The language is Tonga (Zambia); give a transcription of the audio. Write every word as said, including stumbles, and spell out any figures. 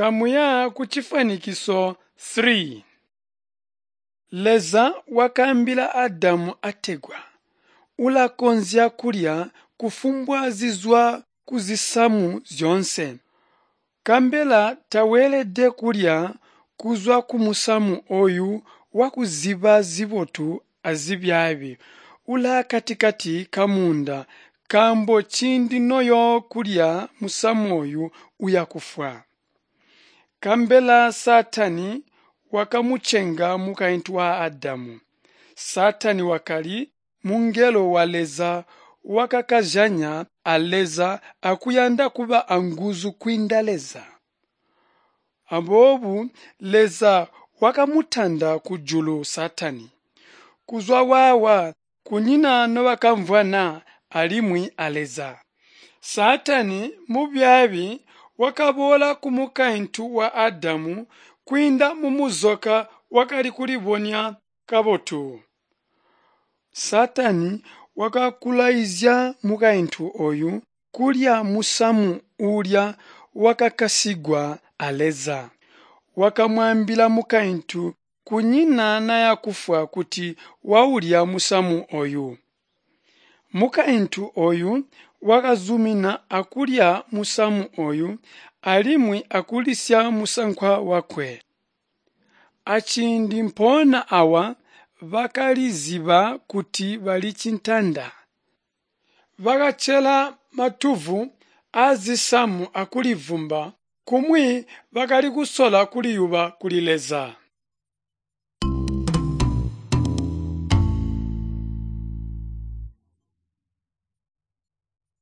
Kamuya kucifwanikiso three. Leza wakaambila Adamu ategwa, ulakonzya kulya kufumbwa zizwa kuzisamu zyoonse, nkabela taweelede kulya kuzwa kumusamu ooyu wakuziba zibotu azibyaabi ulaakatikati kamuunda nkaambo ciindi noyookulya musamu ooyu uyakufwa. Nkabela Saatani wakamucenga mukaintu wa Adamu. Saatani wakali mungelo wa Leza wakakazyanya a Leza akuyanda kuba anguzu kwiinda Leza. Aboobo Leza wakamutanda kujulu Saatani. Kuzwa waawa kunyina nobakamvwana alimwi a Leza. Saatani mubyaabi wakaboola kumukaintu wa Adamu kwiinda mumuzoka wakali kulibonya kabotu. Saatani wakakulwaizya mukaintu ooyu kulya musamu uulya wakakasyigwa a Leza. Wakamwaambila mukaintu kunyina nayakufwa kuti waulya musamu ooyu. Mukaintu ooyu wakazumina akulya musamu ooyu alimwi akulisya musankwa wakwe. Aciindi mpoona awa bakalizyiba kuti bali cintanda. Bakacela matuvwu aazisamu akulivwumba, kumwi bakali kusola kuliyuba kuli Leza.